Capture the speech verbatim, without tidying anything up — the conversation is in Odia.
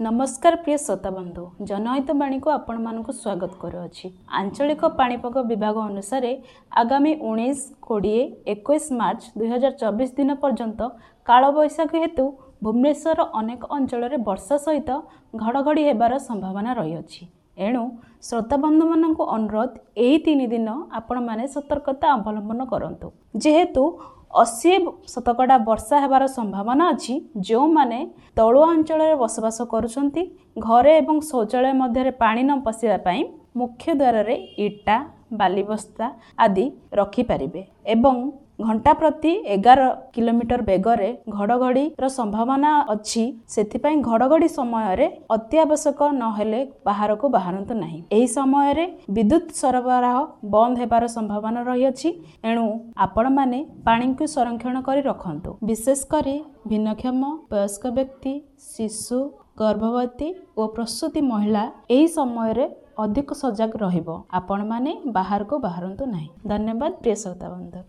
ନମସ୍କାର ପ୍ରିୟ ଶ୍ରୋତାବନ୍ଧୁ, ଜନହିତ ବାଣୀକୁ ଆପଣମାନଙ୍କୁ ସ୍ୱାଗତ କରୁଅଛି। ଆଞ୍ଚଳିକ ପାଣିପାଗ ବିଭାଗ ଅନୁସାରେ ଆଗାମୀ ଉଣେଇଶ, କୋଡ଼ିଏ, ଏକୋଇଶ ମାର୍ଚ୍ଚ ଦୁଇହଜାର ଚବିଶ ଦିନ ପର୍ଯ୍ୟନ୍ତ କାଳବୈଶାଖୀ ହେତୁ ଭୁବନେଶ୍ୱରର ଅନେକ ଅଞ୍ଚଳରେ ବର୍ଷା ସହିତ ଘଡ଼ଘଡ଼ି ହେବାର ସମ୍ଭାବନା ରହିଅଛି। ଏଣୁ ଶ୍ରୋତାବନ୍ଧୁମାନଙ୍କୁ ଅନୁରୋଧ, ଏହି ତିନି ଦିନ ଆପଣମାନେ ସତର୍କତା ଅବଲମ୍ବନ କରନ୍ତୁ। ଯେହେତୁ ଅଶୀ ଶତକଡ଼ା ବର୍ଷା ହେବାର ସମ୍ଭାବନା ଅଛି, ଯେଉଁମାନେ ତଳୁଆ ଅଞ୍ଚଳରେ ବସବାସ କରୁଛନ୍ତି, ଘରେ ଏବଂ ଶୌଚାଳୟ ମଧ୍ୟରେ ପାଣି ନ ପଶିବା ପାଇଁ ମୁଖ୍ୟ ଦ୍ୱାରରେ ଇଟା, ବାଲିବସ୍ତା ଆଦି ରଖିପାରିବେ ଏବଂ ଘଣ୍ଟା ପ୍ରତି ଏଗାର କିଲୋମିଟର ବେଗରେ ଘଡ଼ଘଡ଼ିର ସମ୍ଭାବନା ଅଛି। ସେଥିପାଇଁ ଘଡ଼ଘଡ଼ି ସମୟରେ ଅତି ଆବଶ୍ୟକ ନହେଲେ ବାହାରକୁ ବାହାରନ୍ତୁ ନାହିଁ। ଏହି ସମୟରେ ବିଦ୍ୟୁତ ସରବରାହ ବନ୍ଦ ହେବାର ସମ୍ଭାବନା ରହିଅଛି। ଏଣୁ ଆପଣମାନେ ପାଣିକୁ ସଂରକ୍ଷଣ କରି ରଖନ୍ତୁ। ବିଶେଷ କରି ଭିନ୍ନକ୍ଷମ, ବୟସ୍କ ବ୍ୟକ୍ତି, ଶିଶୁ, ଗର୍ଭବତୀ ଓ ପ୍ରସୂତି ମହିଳା ଏହି ସମୟରେ ଅଧିକ ସଜାଗ ରହିବ। ଆପଣମାନେ ବାହାରକୁ ବାହାରନ୍ତୁ ନାହିଁ। ଧନ୍ୟବାଦ ପ୍ରିୟ ଶ୍ରୋତାବନ୍ଧୁ।